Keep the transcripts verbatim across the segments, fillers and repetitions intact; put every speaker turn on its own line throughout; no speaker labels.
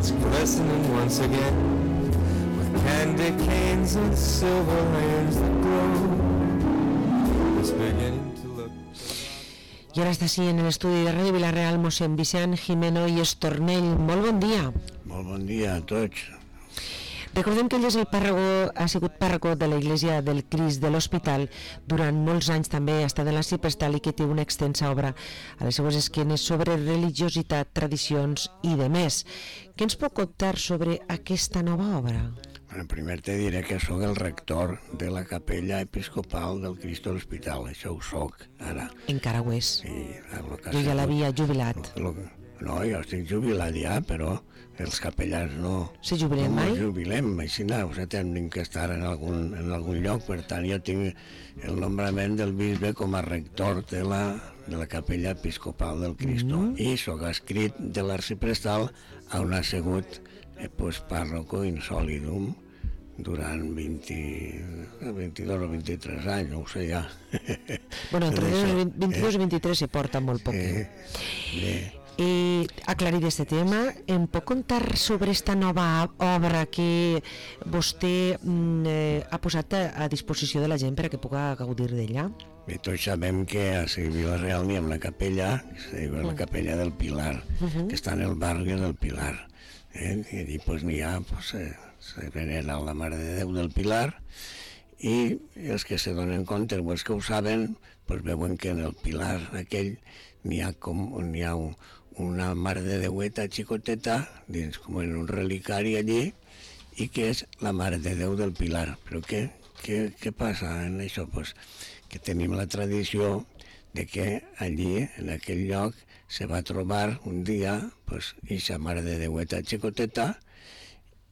it's glistening once again with candy canes and silver lanes that glow. It's beginning to look.
I ara està així en l'estudi de Ràdio Vila-real mossèn Vicent Jimeno i Estornell. Molt bon dia.
Molt bon dia a tots.
Recordem que ell és el pàrroco, ha sigut pàrroco de l'Església del Crist de l'Hospital durant molts anys, també ha estat en l'Arxiprestal i que té una extensa obra a les seues esquenes sobre religiositat, tradicions i de més. Què ens pot contar sobre aquesta nova obra?
Bueno, primer te diré que sóc el rector de la capella episcopal del Crist de l'Hospital, això ho soc ara.
Encara ho és.
Sí,
jo ja l'havia jubilat.
Lo, lo, no, jo estic jubilat ja, però els capellans no.
Se jubilem
no
mai?
No jubilem, així no, o sigui, tenim que estar en algun, en algun lloc, per tant jo tinc el nombrament del bisbe com a rector de la, de la capella episcopal del Cristo, mm. i sóc escrit de l'Arxiprestal on ha sigut eh, pues, pàrroco insolidum durant vint, vint-i-dos o vint-i-tres anys, no ho sé ja.
Bueno, entre vint-i-dos i vint-i-tres se porta molt poc.
Eh, bé.
I aclarir este tema, em pot contar sobre esta nova obra que vostè eh, ha posat a, a disposició de la gent per a que puga gaudir d'ella?
Bé, tots sabem que a Vila-real n'hi ha una capella, que es diu la capella del Pilar, uh-huh. que està en el barri del Pilar. Eh? I allí pues, n'hi ha, pues, eh, se venera la Mare de Déu del Pilar, i els que se donen compte, o els que ho saben, pues, veuen que en el Pilar aquell n'hi ha, com, n'hi ha un, una Mare de Déueta xicoteta, dins com en un relicari allí, i que és la Mare de Déu del Pilar. Però què, què, què passa en això? Pues que tenim la tradició de que allí, en aquell lloc, se va trobar un dia, pues, ixa Mare de Déueta xicoteta,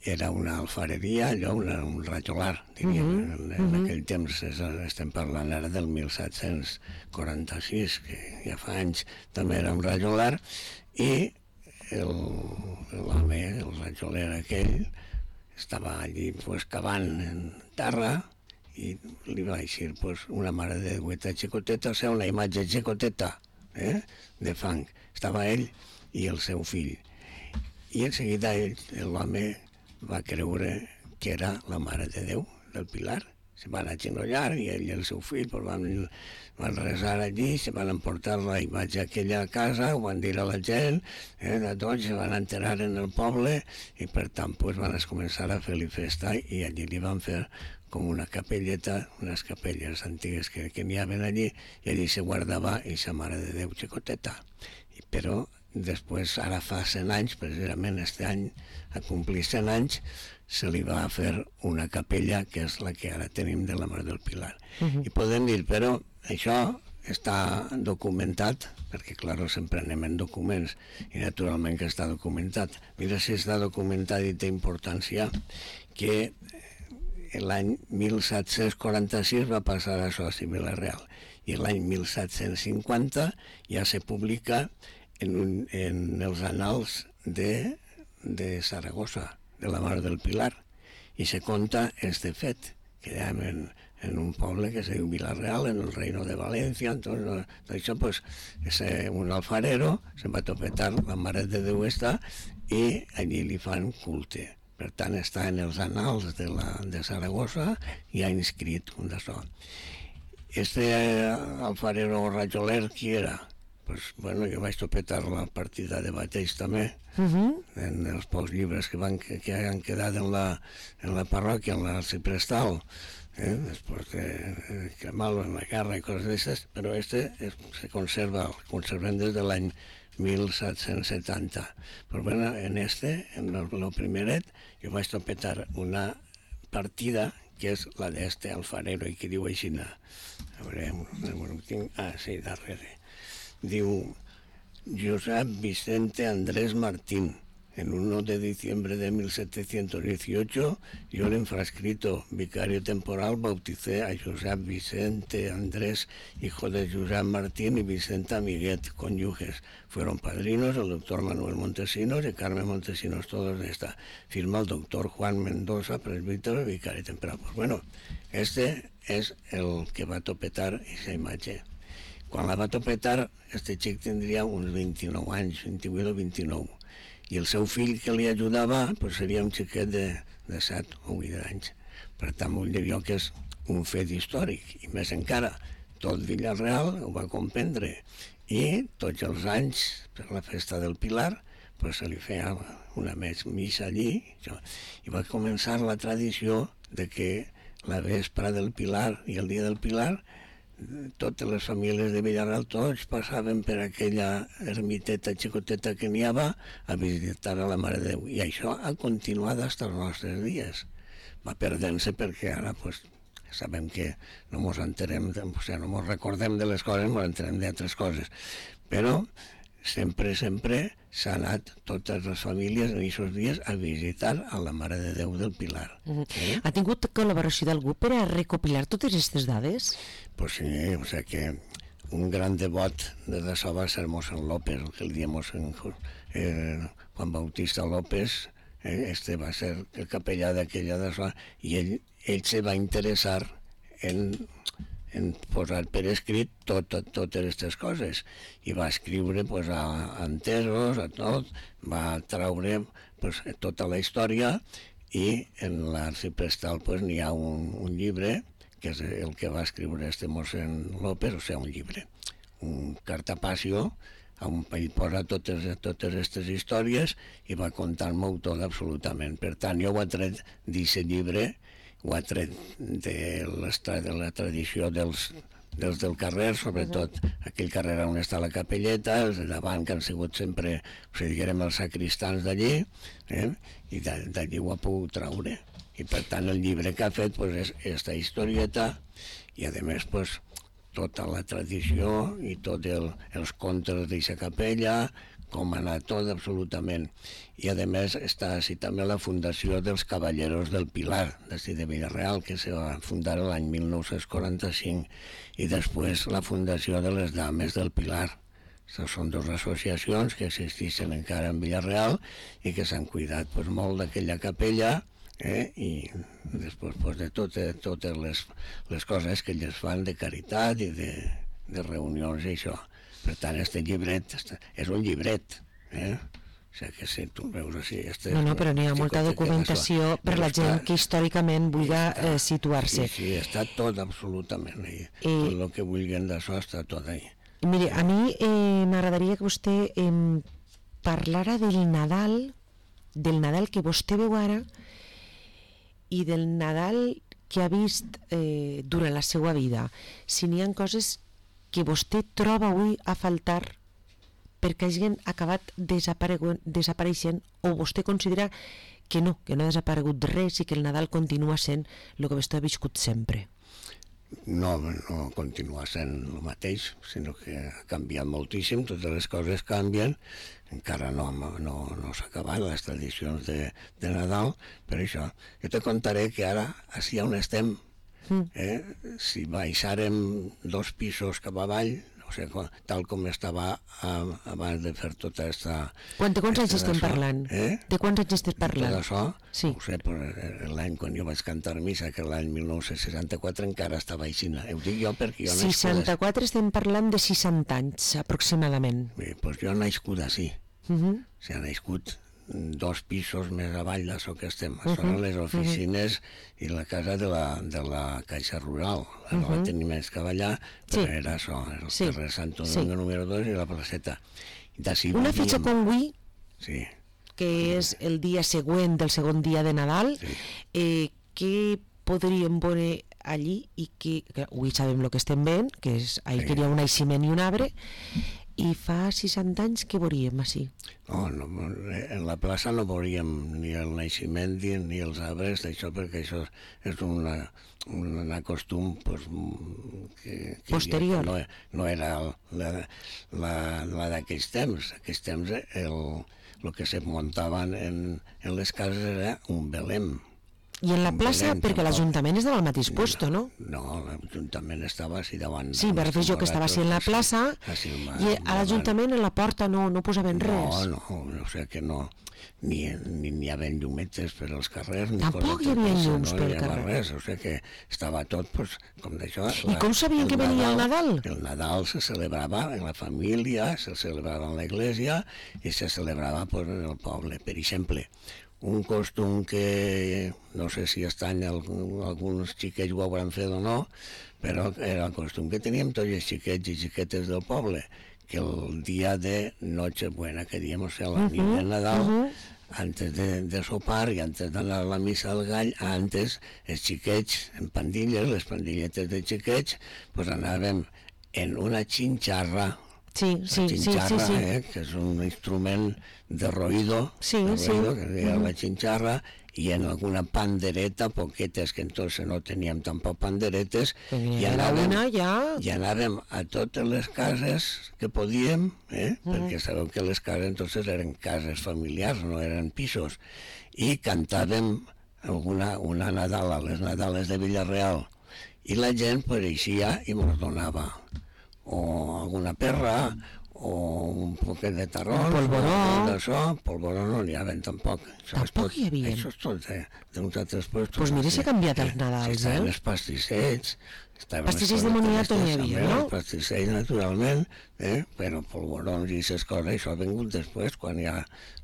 era una alfareria, allò, una, un rajolar, diríem. Uh-huh, en, en uh-huh. aquell temps és, estem parlant ara del disset quaranta-sis, que ja fa anys també era un rajolar, i l'home, el, el rajoler aquell, estava allí pues, cavant en terra i li va eixir pues, una Mare de Déueta xicoteta, o sigui, una imatge xicoteta, eh, de fang. Estava ell i el seu fill. I en seguida ell, l'home, va creure que era la Mare de Déu del Pilar. Se van agenollar i ell i el seu fill pues, van, van resar allí, se van emportar la imatge aquella a casa, ho van dir a la gent, eh, de tots se van enterar en el poble i per tant pues, van començar a fer-li festa i allí li van fer com una capelleta, unes capelles antigues que, que n'hi havia allí, i allí se guardava aquesta Mare de Déu xicoteta. I, però després, ara fa cent anys, precisament este any, a complir cent anys, se li va fer una capella, que és la que ara tenim de la Mare del Pilar. Uh-huh. I podem dir, però això està documentat, perquè, clar, sempre anem en documents, i naturalment que està documentat. Mira si està documentat i té importància que l'any disset quaranta-sis va passar això a Vila-real, i l'any disset cinquanta ja se publica en, un, en els annals de, de Saragossa, de la Mare del Pilar, i se conta este fet, que ja en, en un poble que se diu Vila-real, en el Reino de València. Entonces, això, pues, ese, un alfarero se va topetar la Mare de Déu esta i allí li fan culte. Per tant, està en els annals de, la, de Saragossa i ha inscrit un d'això. Este alfarero rajoler, qui era? Pues, bueno, jo vaig topetar la partida de bateix també, uh-huh. en els pocs llibres que, van, que, que han quedat en la, en la parròquia, en l'Arxiprestal, eh? després de, de cremar-lo en la guerra i coses d'aquestes, però este es, se conserva, el conservem des de l'any disset setanta. Però bueno, en este, en el, el primeret, jo vaig topetar una partida que és la d'este alfarero, i que diu així, a veure, no tinc, ah, sí, darrere. Diu Josep Vicente Andrés Martín. En el uno de diciembre de mil setecientos dieciocho, yo el infrascrito vicario temporal bauticé a Josep Vicente Andrés, hijo de Josep Martín y Vicenta Amiguet, cónyuges. Fueron padrinos el doctor Manuel Montesinos y Carmen Montesinos, todos de esta. Firma el doctor Juan Mendoza, presbítero y vicario temporal. Pues bueno, este es el que va a topetar esa imagen. Quan la va topetar, este xic tindria uns vint-i-nou anys, vint-i-vuit o vint-i-nou. I el seu fill que li ajudava pues, seria un xiquet de, de set o vuit anys. Per tant, vull dir jo que és un fet històric, i més encara, tot Vila-real ho va comprendre, i tots els anys, per la festa del Pilar, pues, se li feia una més missa allí, i va començar la tradició de que la vespra del Pilar i el dia del Pilar, totes les famílies de Villarreal, tots passaven per aquella ermiteta xicoteta que n'hi havia a visitar a la Mare de Déu. I això ha continuat fins als nostres dies. Va perdent-se perquè ara pues, sabem que no ens enterem, o sigui, no ens recordem de les coses, ens enterem d'altres coses. Però sempre, sempre s'ha anat totes les famílies en aquests dies a visitar a la Mare de Déu del Pilar.
Uh -huh. eh? Ha tingut col·laboració d'algú per a recopilar totes aquestes dades?
Pues sí, o sigui que un gran devot de això va ser mossèn López, el que el dia mossèn eh, Juan Bautista López, eh, este va ser el capellà d'aquella d'això, i ell, ell se va interessar en en posar per escrit tot, tot, totes aquestes coses, i va escriure pues, a, a entesos, a tot, va traure pues, tota la història, i en l'arxiprestal pues, n'hi ha un, un llibre, que és el que va escriure este mossèn López, o sigui, un llibre, un cartapacio, on ell posa totes totes aquestes històries i va contar-m'ho tot absolutament. Per tant, jo ho he tret d'aquest llibre, ho ha tret de, de la tradició dels, dels del carrer, sobretot aquell carrer on està la capelleta, els de davant que han sigut sempre, o sigui, diguem, els sacristans d'allí, eh? I d'allí ho ha pogut traure. I per tant el llibre que ha fet pues, és aquesta historieta, i a més pues, tota la tradició i tots el, els contes d'aquesta capella, com ha anat tot absolutament. I a més està així també la fundació dels Caballeros del Pilar, d'ací de Villarreal, que se va fundar l'any mil nou-cents quaranta-cinc, i després la fundació de les Dames del Pilar. Aquestes són dues associacions que existeixen encara en Villarreal i que s'han cuidat pues, molt d'aquella capella, eh? I després pues, de totes, totes les, les coses que elles fan de caritat i de, de reunions i això. Per tant, este llibret és un llibret, eh? O sigui que si tu veus així... Este
no, no, però n'hi ha molta documentació per la gent que històricament vulgui eh, situar-se.
Sí, sí, està tot absolutament ahí. I... Tot el que vulguin d'això està tot ahí.
Mire, a mi eh, m'agradaria que vostè eh, parlara del Nadal, del Nadal que vostè veu ara i del Nadal que ha vist eh, durant la seva vida. Si n'hi ha coses que vostè troba avui a faltar perquè hagin acabat desapareixent, o vostè considera que no, que no ha desaparegut res i que el Nadal continua sent el que vostè ha viscut sempre?
No, no continua sent el mateix, sinó que ha canviat moltíssim, totes les coses canvien, encara no, no, no s'ha acabat les tradicions de, de Nadal, per això. Jo te contaré que ara, així on estem, Eh? si baixàrem dos pisos cap avall, o sigui, tal com estava a, abans de fer tota aquesta...
Quan, de quants anys estem parlant?
Eh?
De quants anys estem parlant?
De tot això,
sí.
No sé, l'any quan jo vaig cantar missa, que l'any mil nou-cents seixanta-quatre encara estava aixina. Ho dic jo perquè jo nascut...
seixanta-quatre estem parlant de seixanta anys, aproximadament.
Bé, doncs jo nascut així.
Uh -huh.
O sigui, nascut dos pisos més avall d'això que estem. Uh -huh. Són les oficines uh -huh. i la casa de la, de la Caixa Rural. La uh -huh. no tenim més que allà, però sí. Era això, el sí. carrer Santo Domingo sí. número dos i la placeta.
Una fitxa com avui,
sí.
que és el dia següent del segon dia de Nadal, sí. eh, què podríem veure allí, i que, que avui sabem el que estem veient, que és ahir sí. que hi ha un naixement i un arbre, i fa seixanta anys que veuríem així?
No, no, en la plaça no veuríem ni el naixement ni els arbres d'això, perquè això és una, un costum pues, que, que
posterior.
No, no era la, la, la d'aquells temps. Aquells temps el, el que se muntaven en, en les cases era un belém.
I en la plaça,
Belén,
perquè
tampoc.
l'Ajuntament estava al mateix puesto, no?
No, l'Ajuntament estava així davant.
Sí, me refereixo que estava així en la plaça i a l'Ajuntament en la porta no, no posaven res.
No, no, o sigui que no, ni, ni, ni hi havia llumetes per als carrers, ni
Tampoc hi
cosetes
havia
d'això,
llums
no
pel
hi havia
carrer.
res, o sigui que estava tot pues, com d'això.
I com sabien que venia el Nadal?
El Nadal se celebrava en la família, se celebrava en l'església i se celebrava pues, en el poble. Per exemple, un costum que no sé si estan alguns xiquets ho hauran fet o no, però era el costum que teníem tots els xiquets i xiquetes del poble, que el dia de Nochebuena, que diem, o sigui, la nit de Nadal, uh -huh. antes de, de sopar i antes d'anar a la missa del gall, antes els xiquets en pandilles, les pandilletes de xiquets, pues anàvem en una xinxarra.
Sí, sí, sí, sí, sí.
Eh, que és un instrument de roïdo,
sí,
de roïdo
sí.
que es deia la xinxarra, i en alguna pandereta, poquetes, que entonces no teníem tampoc panderetes, i anàvem,
una ja...
i anàvem a totes les cases que podíem, eh? Mm. perquè sabeu que les cases entonces eren cases familiars, no eren pisos, i cantàvem alguna, una Nadal, a les Nadales de Villarreal, i la gent pues, eixia i mos donava o alguna perra, o un poquet de tarrons,
un polvoró,
d'això, polvoró no n'hi havia tampoc. Això
tampoc
tot,
hi havia.
Això és tot d'uns altres puestos.
Doncs pues mira si ha canviat els Nadals,
sí,
eh?
Estaven els pastissets,
pastissets de moniato n'hi havia, no?
Els pastissets, naturalment, eh? però polvorons i aquestes coses, això ha vingut després, quan ja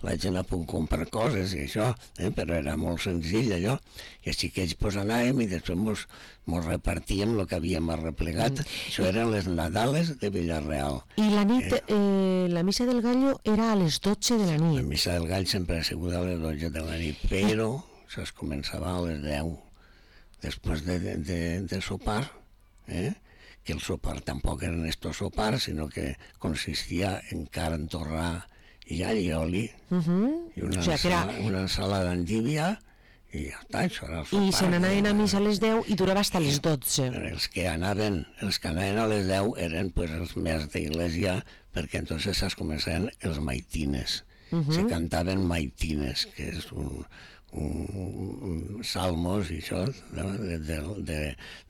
la gent ha pogut comprar coses i això, eh? però era molt senzill allò, i els xiquets pues, anàvem i després mos, mos repartíem el que havíem arreplegat. Mm. Això eren les Nadales de Villarreal.
I la nit, eh? Eh, la missa del gallo era a les dotze de la nit.
La missa del gall sempre ha sigut a les dotze de la nit, però això es començava a les deu, després de, de, de, de sopar, eh? que el sopar tampoc eren estos sopars, sinó que consistia en carn, torrà i allioli,
uh -huh.
i una,
o sigui,
ensalada,
era...
una ensalada endívia, i ja està, això era el sopar.
I se n'anaven a missa a les deu i durava fins a les dotze.
Els que anaven, els que anaven a les deu eren pues, els més d'església, perquè entonces es començaven els maitines. Uh -huh. Se cantaven maitines, que és un, un, un salmos i això, de, de, de,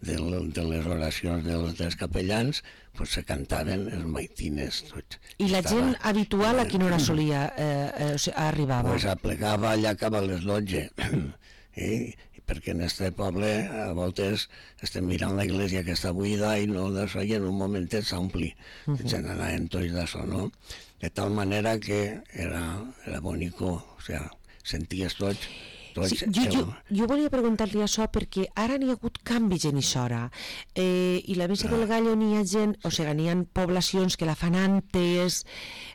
de, de les oracions dels, dels capellans, pues se cantaven els maitines. Tots.
I la Estava, gent habitual a quina hora solia eh, eh, o sigui, arribava?
Pues aplegava allà cap a les dotze. Eh? perquè en este poble a voltes estem mirant la iglesia que està buida i no d'això, i en un momentet s'ompli. Uh -huh. Se n'anaven tots d'això, no? De tal manera que era, era bonico, o sigui, senties tots. tots
sí, jo, jo, jo volia preguntar-li això perquè ara n'hi ha hagut canvis en Ixora eh, i la missa no. del Gallo n'hi ha gent, o sigui, n'hi ha poblacions que la fan antes.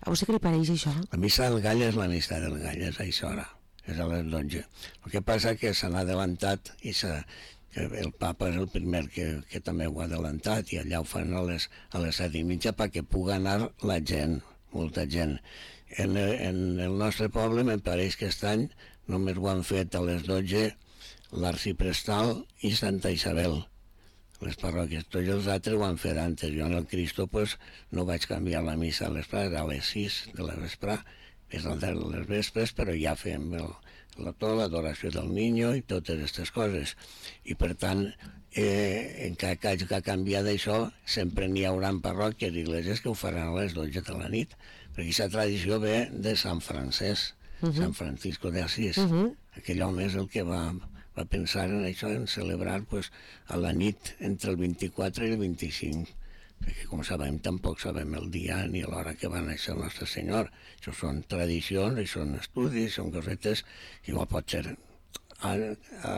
A vostè què li pareix això?
La missa del Gallo és la missa del Gallo, és a Ixora. És a les dotze. El que passa que s'han adelantat i que el papa és el primer que, que també ho ha adelantat i allà ho fan a les, a les set i mitja perquè pugui anar la gent, molta gent. En, en el nostre poble me pareix que aquest any només ho han fet a les dotze l'Arciprestal i Santa Isabel. Les parròquies, tots els altres ho han fet antes. Jo en el Cristo pues, no vaig canviar la missa a l'esprà, a les sis de la vesprà, és el de les vespres, però ja fem el, la, tota l'adoració del Niño i totes aquestes coses. I per tant, eh, en cada cas que ha canviat això, sempre n'hi haurà parròquies i igleses que ho faran a les dotze de la nit, perquè aquesta tradició ve de Sant Francesc, uh -huh. Sant Francisco de Asís. Uh -huh. Aquell home és el que va, va pensar en això, en celebrar pues, a la nit entre el vint-i-quatre i el vint-i-cinc. Perquè, com sabem, tampoc sabem el dia ni l'hora que va néixer el nostre Senyor. Això són tradicions, i són estudis, són cosetes que igual pot ser a, a,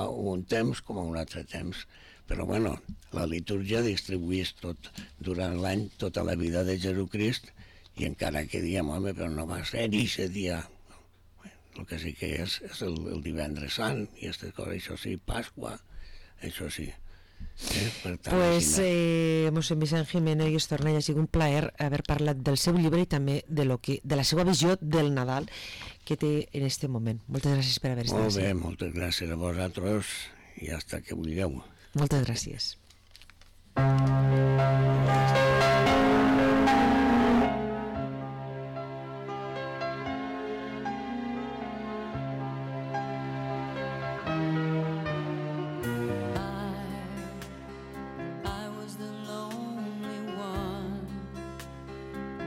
a un temps com a un altre temps. Però, bueno, la litúrgia distribuïs tot, durant l'any tota la vida de Jesucrist, i encara que diem, home, però no va ser aquest dia. Bé, el que sí que és, és el, el divendres sant, i aquestes coses, això sí, Pasqua, això sí. Eh, tant,
pues eh, mossèn Vicent Jiménez i Estornell, ha sigut un plaer haver parlat del seu llibre i també de, lo que, de la seva visió del Nadal que té en aquest moment. Moltes gràcies per haver estat
Molt bé,
així.
moltes gràcies a vosaltres i hasta que vulgueu.
Moltes gràcies.